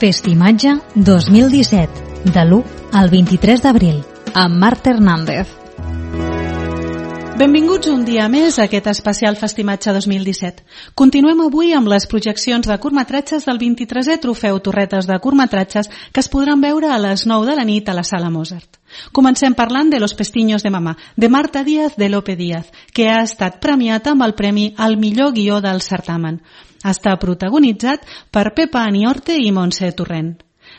Festimatge 2017, de l'1 al 23 d'abril, amb Marta Hernández. Benvinguts un dia més a aquest especial Festimatge 2017. Continuem avui amb les projeccions de curtmetratges del 23è Trofeu Torretes de Curtmetratges que es podran veure a les 9 de la nit a la Sala Mozart. Comencem parlant de Los Pestiños de Mamá, de Marta Díaz de Lope Díaz, que ha estat premiat amb el premi al millor guió del certamen. Està protagonitzat per Pepa Aniorte i Montse Torrent.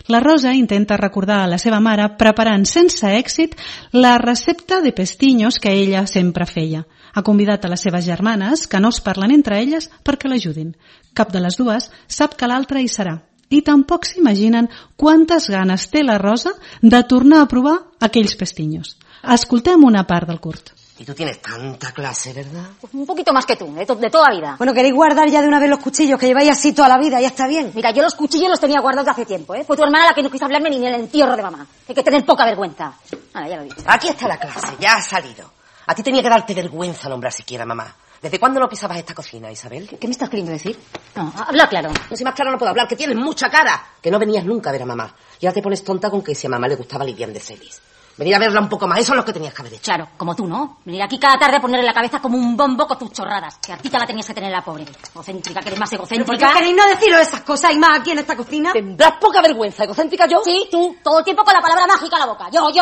La Rosa intenta recordar a la seva mare preparant sense èxit la recepta de pestiños que ella sempre feia. Ha convidat a les seves germanes, que no es parlen entre elles, perquè l'ajudin. Cap de les dues sap que l'altra hi serà. I tampoc s'imaginen quantes ganes té la Rosa de tornar a provar aquells pestiños. Escoltem una part del curt. Y tú tienes tanta clase, ¿verdad? Pues un poquito más que tú, de toda la vida. Bueno, ¿queréis guardar ya de una vez los cuchillos que lleváis así toda la vida? Ya está bien. Mira, yo los cuchillos los tenía guardados de hace tiempo, ¿eh? Fue tu hermana la que no quiso hablarme ni en el entierro de mamá. Hay que tener poca vergüenza. Vale, ya lo he dicho. Aquí está la clase, ya ha salido. A ti tenía que darte vergüenza nombrar siquiera mamá. ¿Desde cuándo no pisabas esta cocina, Isabel? ¿Qué me estás queriendo decir? No, habla claro. No, si más claro no puedo hablar, que tienes mucha cara. Que no venías nunca a ver a mamá. Y ahora te pones tonta con que si a mamá le gustaba Lilian de Celis. Venir a verla un poco más, eso es lo que tenías que haber hecho. Claro, como tú, ¿no? Venir aquí cada tarde a ponerle la cabeza como un bombo con tus chorradas. Que a ti te la tenías que tener la pobre. Egocéntrica, que eres más egocéntrica. ¿Por qué queréis no deciros esas cosas y más aquí en esta cocina? ¿Tendrás poca vergüenza, egocéntrica yo? Sí, tú, todo el tiempo con la palabra mágica a la boca. Yo. Y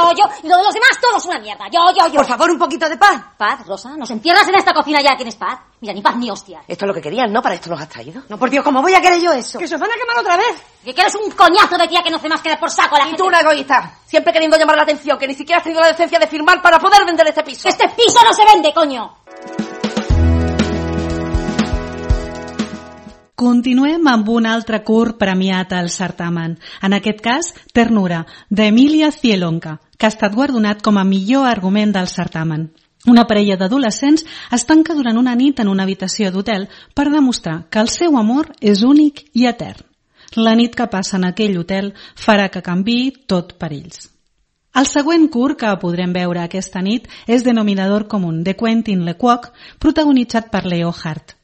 lo de los demás, todo es una mierda. Yo. Por favor, un poquito de paz. Paz, Rosa, nos encierras en esta cocina ya, tienes paz. Mira, ni paz ni hostias. Esto es lo que querías, ¿no? ¿Para esto nos has traído? No, por Dios, ¿cómo voy a querer yo eso? Que se os van a quemar otra vez. Que eres un coñazo de tía que no hace más que dar por saco a la gente. Y tú una egoísta, siempre queriendo llamar la atención, que ni siquiera has tenido la decencia de firmar para poder vender este piso. ¡Este piso no se vende, coño! Continuem amb un altre curt premiat al certamen. En aquest cas, Ternura, d'Emília Cielonca, que ha estat guardonat com a millor argument del certamen. Una parella d'adolescents es tanca durant una nit en una habitació d'hotel per demostrar que el seu amor és únic i etern. La nit que passa en aquell hotel farà que canviï tot per ells. El següent curt que podrem veure aquesta nit és Denominador Común, de Quentin Lequoc, protagonitzat per Leo Hart.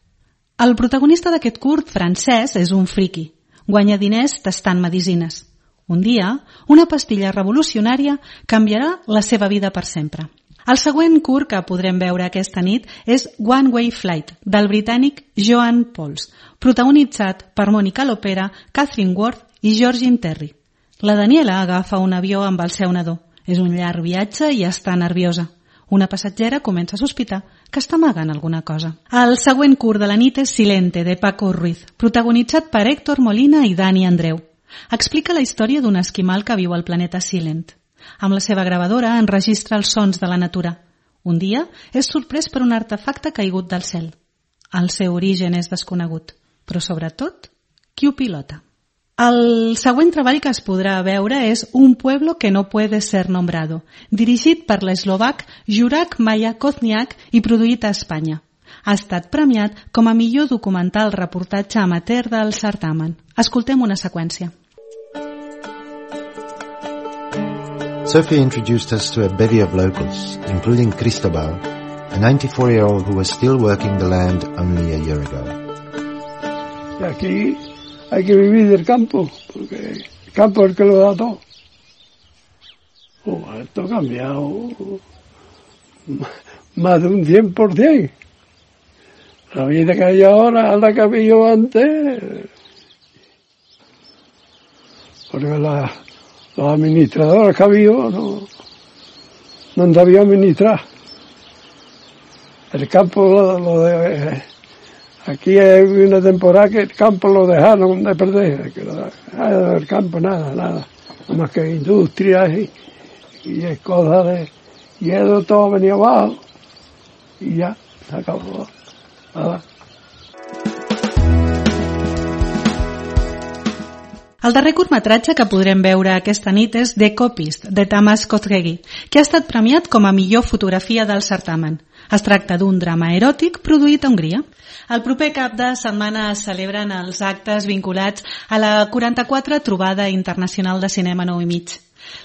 El protagonista d'aquest curt, francès, és un friqui. Guanya diners tastant medicines. Un dia, una pastilla revolucionària canviarà la seva vida per sempre. El següent curt que podrem veure aquesta nit és One Way Flight, del britànic Joan Pauls, protagonitzat per Mònica Lopera, Catherine Ward i Georgine Terry. La Daniela agafa un avió amb el seu nadó. És un llarg viatge i està nerviosa. Una passatgera comença a sospitar que està amagant alguna cosa. El següent curt de la nit és Silente, de Paco Ruiz, protagonitzat per Héctor Molina i Dani Andreu. Explica la història d'un esquimal que viu al planeta Silent. Amb la seva gravadora enregistra els sons de la natura. Un dia és sorprès per un artefacte caigut del cel. El seu origen és desconegut, però sobretot, qui ho pilota? El següent treball que es podrà veure és Un pueblo que no puede ser nombrado, dirigit per l'eslovac Juraj Maja Kozniak i produït a Espanya. Ha estat premiat com a millor documental reportatge amateur del certamen. Escoltem una seqüència. Sophie introduced us to a bevy of locals, including Cristobal, a 94-year-old who was still working the land only a year ago. Y aquí hay que vivir del campo, porque el campo es el que lo da todo. Esto ha cambiado más de un 100%. La vida que hay ahora es la que había antes. Porque los administradores que había no han sabido administrar. El campo lo de... Aquí hay una temporada que el campo lo dejaron de perder. El campo nada. Nada más que industrias y cosas de... Y eso todo venía abajo. Y ya, se acabó. Nada. El darrer curtmetratge que podrem veure aquesta nit és The Copist, de Tamas Kozgegi, que ha estat premiat com a millor fotografia del certamen. Es tracta d'un drama eròtic produït a Hongria. El proper cap de setmana es celebren els actes vinculats a la 44 Trobada Internacional de Cinema 9 i mig.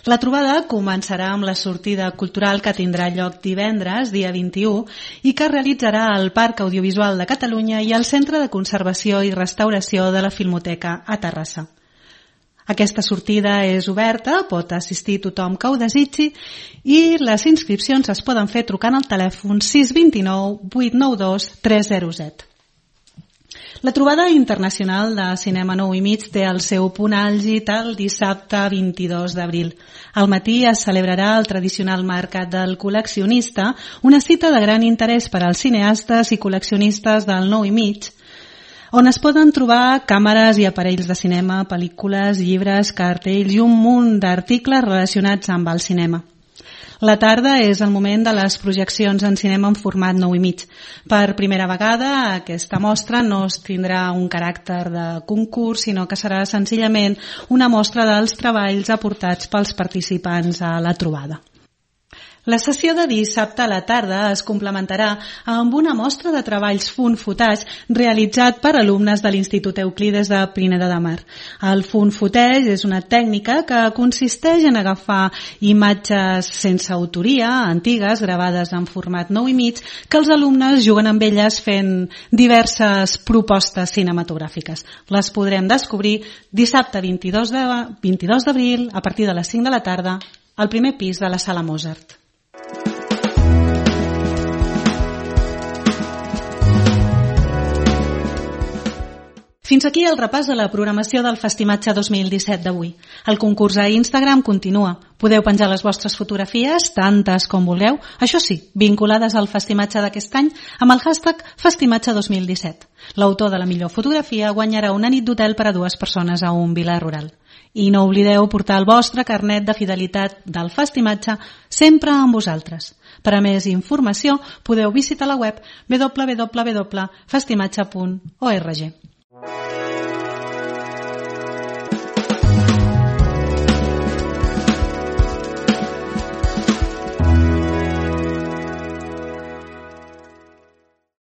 La trobada començarà amb la sortida cultural que tindrà lloc divendres, dia 21, i que es realitzarà al Parc Audiovisual de Catalunya i al Centre de Conservació i Restauració de la Filmoteca a Terrassa. Aquesta sortida és oberta, pot assistir tothom que ho desitgi i les inscripcions es poden fer trucant al telèfon 629 892 307. La trobada internacional de cinema 9:30 té el seu punt àlgid el dissabte 22 d'abril. Al matí es celebrarà el tradicional mercat del col·leccionista, una cita de gran interès per als cineastes i col·leccionistes del 9:30, on es poden trobar càmeres i aparells de cinema, pel·lícules, llibres, cartells i un munt d'articles relacionats amb el cinema. La tarda és el moment de les projeccions en cinema en format 9:30. Per primera vegada, aquesta mostra no tindrà un caràcter de concurs, sinó que serà senzillament una mostra dels treballs aportats pels participants a la trobada. La sessió de dissabte a la tarda es complementarà amb una mostra de treballs found-footage realitzat per alumnes de l'Institut Euclides de Pineda de Mar. El found-footage és una tècnica que consisteix en agafar imatges sense autoria, antigues, gravades en format 9:30, que els alumnes juguen amb elles fent diverses propostes cinematogràfiques. Les podrem descobrir dissabte 22 d'abril a partir de les 5 de la tarda al primer pis de la Sala Mozart. Fins aquí el repàs de la programació del Festimatge 2017 d'avui. El concurs a Instagram continua. Podeu penjar les vostres fotografies, tantes com vulgueu, això sí, vinculades al Festimatge d'aquest any amb el hashtag Festimatge 2017. L'autor de la millor fotografia guanyarà una nit d'hotel per a 2 persones a un vila rural. I no oblideu portar el vostre carnet de fidelitat del Festimatge sempre amb vosaltres. Per a més informació podeu visitar la web www.festimatge.org.